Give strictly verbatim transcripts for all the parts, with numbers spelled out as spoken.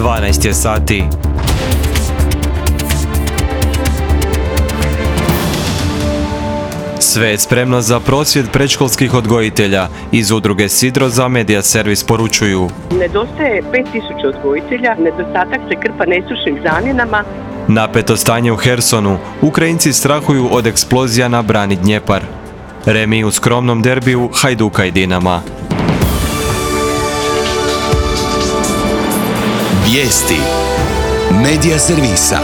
dvanaest je sati. Sve je spremno za prosvjed predškolskih odgojitelja. Iz udruge Sidro za Media Servis poručuju: nedostaje pet tisuća odgojitelja, nedostatak se krpa nestručnim zamjenama. Napeto stanje u Hersonu. Ukrajinci strahuju od eksplozija na brani Dnjepar. Remi u skromnom derbiju Hajduka i Dinama. Vijesti Media Servisa.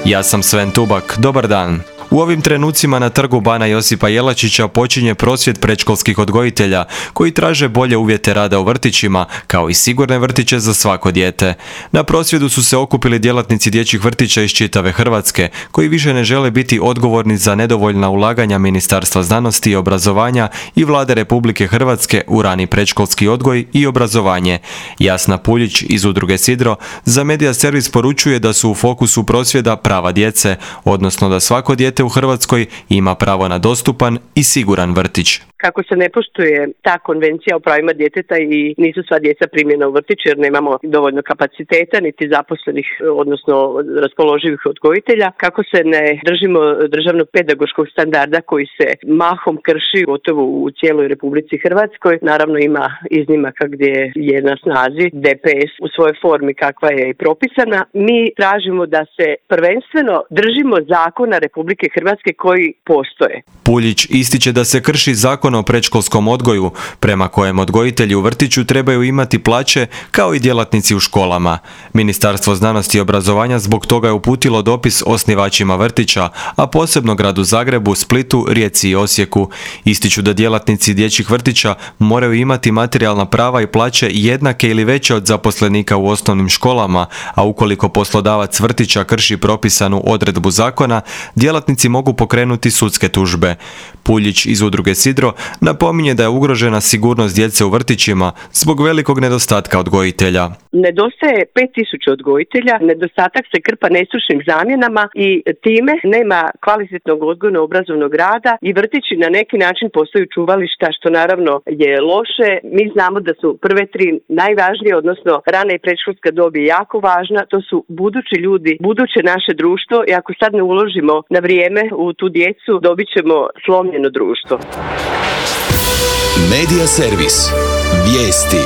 Ja sam Sven Tubak. Dobar dan. U ovim trenucima na trgu Bana Josipa Jelačića počinje prosvjed predškolskih odgojitelja koji traže bolje uvjete rada u vrtićima, kao i sigurne vrtiće za svako dijete. Na prosvjedu su se okupili djelatnici dječjih vrtića iz čitave Hrvatske, koji više ne žele biti odgovorni za nedovoljna ulaganja Ministarstva znanosti i obrazovanja i Vlade Republike Hrvatske u rani predškolski odgoj i obrazovanje. Jasna Puljić iz udruge Sidro za Media Servis poručuje da su u fokusu prosvjeda prava djece, odnosno da svako dijete u Hrvatskoj ima pravo na dostupan i siguran vrtić. Kako se ne poštuje ta konvencija o pravima djeteta i nisu sva djeca primljena u vrtić jer nemamo dovoljno kapaciteta niti zaposlenih, odnosno raspoloživih odgojitelja, kako se ne držimo državnog pedagoškog standarda koji se mahom krši gotovo u cijeloj Republici Hrvatskoj. Naravno ima iznimaka gdje je na snazi D P S u svojoj formi kakva je i propisana. Mi tražimo da se prvenstveno držimo zakona Republike Hrvatske koji postoje. Puljić ističe da se krši zakon o predškolskom odgoju, prema kojem odgojitelji u vrtiću trebaju imati plaće kao i djelatnici u školama. Ministarstvo znanosti i obrazovanja zbog toga je uputilo dopis osnivačima vrtića, a posebno gradu Zagrebu, Splitu, Rijeci i Osijeku. Ističu da djelatnici dječjih vrtića moraju imati materijalna prava i plaće jednake ili veće od zaposlenika u osnovnim školama, a ukoliko poslodavac vrtića krši propisanu odredbu zakona, djelatnici mogu pokrenuti sudske tužbe. Puljić iz udruge Sidro napominje da je ugrožena sigurnost djece u vrtićima zbog velikog nedostatka odgojitelja. Nedostaje pet tisuća odgojitelja, nedostatak se krpa nestručnim zamjenama i time nema kvalitetnog odgojno-obrazovnog rada i vrtići na neki način postaju čuvališta, što naravno je loše. Mi znamo da su prve tri najvažnije, odnosno rana i predškolska dob je jako važna, to su budući ljudi, buduće naše društvo i ako sad ne uložimo na vrijeme u tu djecu, dobit ćemo slomljeno društvo. Media Servis. Vijesti.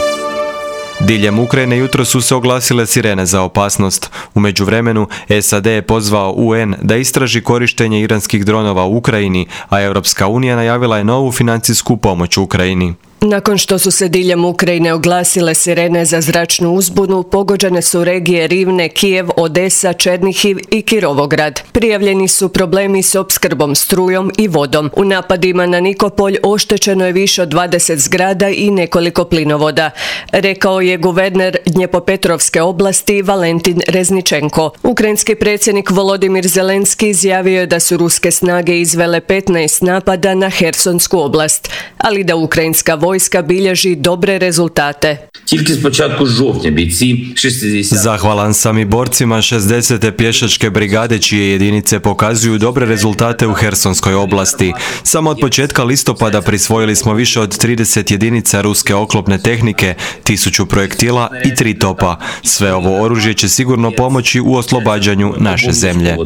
Diljem Ukrajine jutro su se oglasile sirene za opasnost. U međuvremenu S A D je pozvao U N da istraži korištenje iranskih dronova u Ukrajini, a Europska unija najavila je novu financijsku pomoć Ukrajini. Nakon što su se diljem Ukrajine oglasile sirene za zračnu uzbunu, pogođene su regije Rivne, Kijev, Odesa, Černihiv i Kirovograd. Prijavljeni su problemi s opskrbom strujom i vodom. U napadima na Nikopolj oštećeno je više od dvadeset zgrada i nekoliko plinovoda, rekao je guverner Dnjepropetrovske oblasti Valentin Rezničenko. Ukrajinski predsjednik Volodimir Zelenski izjavio je da su ruske snage izvele petnaest napada na Hersonsku oblast, ali da ukrajinska vojska Vojska bilježi dobre rezultate. Zahvalan sam i borcima šezdesete pješačke brigade čije jedinice pokazuju dobre rezultate u Hersonskoj oblasti. Samo od početka listopada prisvojili smo više od trideset jedinica ruske oklopne tehnike, tisuću projektila i tri topa. Sve ovo oružje će sigurno pomoći u oslobađanju naše zemlje.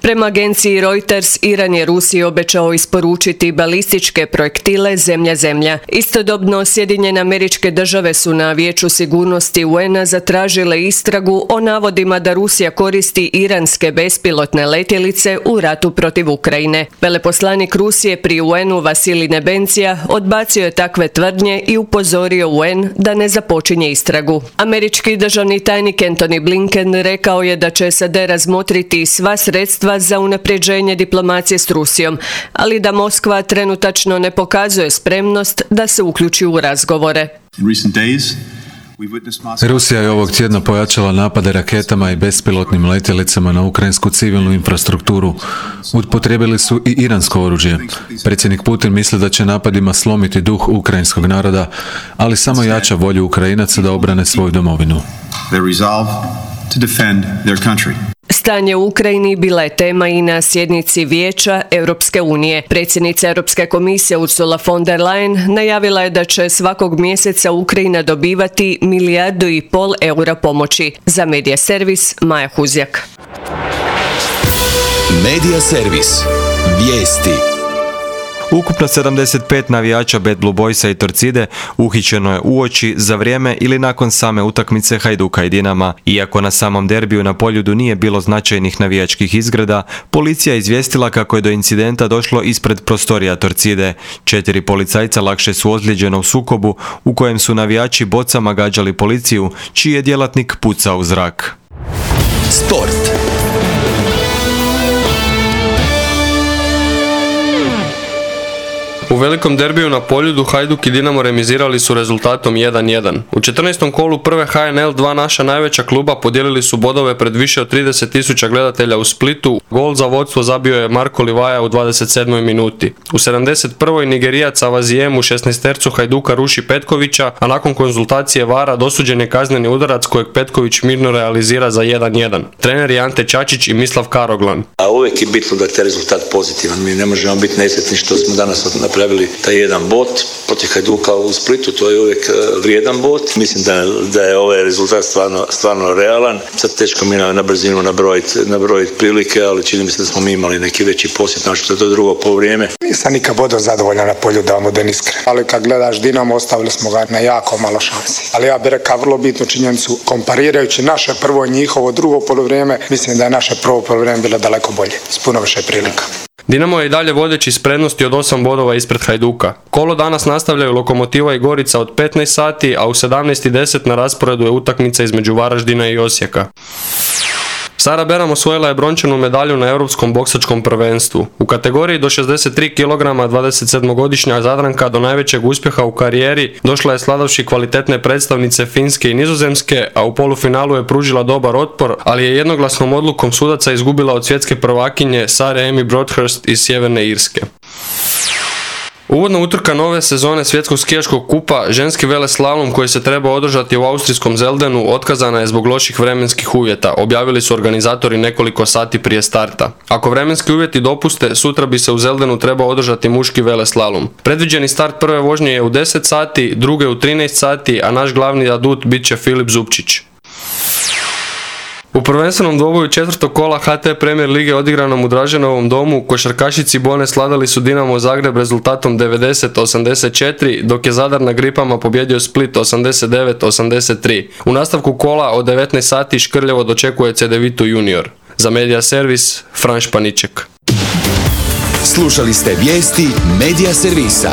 Prema agenciji Reuters, Iran je Rusiji obećao isporučiti balističke projektile zemlja-zemlja. Istodobno, Sjedinjene Američke Države su na Vijeću sigurnosti U N-a zatražile istragu o navodima da Rusija koristi iranske bespilotne letjelice u ratu protiv Ukrajine. Veleposlanik Rusije pri U N-u Vasilij Nebencija odbacio je takve tvrdnje i upozorio U N da ne započinje istragu. Američki državni tajnik Antony Blinken rekao je da će S A D razmotriti sva sredstva za unapređenje diplomacije s Rusijom, ali da Moskva trenutačno ne pokazuje spremnost da se uključi u razgovore. Rusija je ovog tjedna pojačala napade raketama i bespilotnim letjelicama na ukrajinsku civilnu infrastrukturu. Upotrijebili su i iransko oružje. Predsjednik Putin misli da će napadima slomiti duh ukrajinskog naroda, ali samo jača volju Ukrajinaca da obrane svoju domovinu. Stanje u Ukrajini bila je tema i na sjednici Vijeća Europske unije. Predsjednica Europske komisije Ursula von der Leyen najavila je da će svakog mjeseca Ukrajina dobivati milijardu i pol eura pomoći. Za Medija servis Maja Huzjak. Medija servis. Vijesti. Ukupno sedamdeset pet navijača Bad Blue Boysa i Torcide uhićeno je uoči, za vrijeme ili nakon same utakmice Hajduka i Dinama. Iako na samom derbiju na Poljudu nije bilo značajnih navijačkih izgreda, policija je izvijestila kako je do incidenta došlo ispred prostorija Torcide. Četiri policajca lakše su ozlijeđena u sukobu u kojem su navijači bocama gađali policiju, čiji je djelatnik pucao u zrak. Sport. U velikom derbiju na Poljudu Hajduk i Dinamo remizirali su rezultatom jedan jedan. U četrnaestom kolu prve H N L dva naša najveća kluba podijelili su bodove pred više od trideset tisuća gledatelja u Splitu. Gol za vodstvo zabio je Marko Livaja u dvadeset sedmoj minuti. U sedamdeset prvoj Nigerijac Avazijem u šesnaestercu Hajduka ruši Petkovića, a nakon konzultacije vara dosuđen je kazneni udarac kojeg Petković mirno realizira za jedan jedan. Trener je Ante Čačić i Mislav Karoglan. A uvijek je bitno da je rezultat pozitivan. Mi ne možemo biti nesretni što smo danas napravili taj jedan bod protiv Hajduka u Splitu, to je uvijek vrijedan bod. Mislim da, da je ovaj rezultat stvarno, stvarno realan. Sad teško mi na, na brzinu nabrojiti nabrojit prilike, ali čini mi se da smo mi imali neki veći posjet, znači što je to drugo poluvrijeme. Nisam nikad bodao zadovoljan na Poljudu, da vam budem iskren. Ali kad gledaš Dinamo, ostavili smo ga na jako malo šansi. Ali ja bih rekao vrlo bitnu činjenicu, komparirajući naše prvo i njihovo drugo poluvrijeme, mislim da je naše prvo poluvrijeme bilo daleko bolje, s puno više prilika. Dinamo je i dalje vodeći s prednosti od osam bodova ispred Hajduka. Kolo danas nastavljaju Lokomotiva i Gorica od petnaest sati, a u sedamnaest i deset na rasporedu je utakmica između Varaždina i Osijeka. Sara Beram osvojila je brončanu medalju na Europskom boksačkom prvenstvu. U kategoriji do šezdeset tri kilograma dvadesetsedmogodišnja Zadranka do najvećeg uspjeha u karijeri došla je sladavši kvalitetne predstavnice Finske i Nizozemske, a u polufinalu je pružila dobar otpor, ali je jednoglasnom odlukom sudaca izgubila od svjetske prvakinje Sare Amy Broadhurst iz Sjeverne Irske. Uvodna utrka nove sezone svjetskog skijaškog kupa, ženski veleslalom koji se treba održati u austrijskom Zeldenu, otkazana je zbog loših vremenskih uvjeta, objavili su organizatori nekoliko sati prije starta. Ako vremenski uvjeti dopuste, sutra bi se u Zeldenu trebao održati muški veleslalom. Predviđeni start prve vožnje je u deset sati, druge u trinaest sati, a naš glavni adut bit će Filip Zupčić. U prvenstvenom dvoboju četvrtog kola H T Premier lige odigranom u Draženovom domu, košarkašici Bone sladali su Dinamo Zagreb rezultatom devedeset osamdeset četiri, dok je Zadar na gripama pobjedio Split osamdeset devet osamdeset tri. U nastavku kola od devetnaest sati Škrljevo dočekuje Cedevita Junior. Za Medija servis Fran Španiček. Slušali ste vijesti Medija servisa.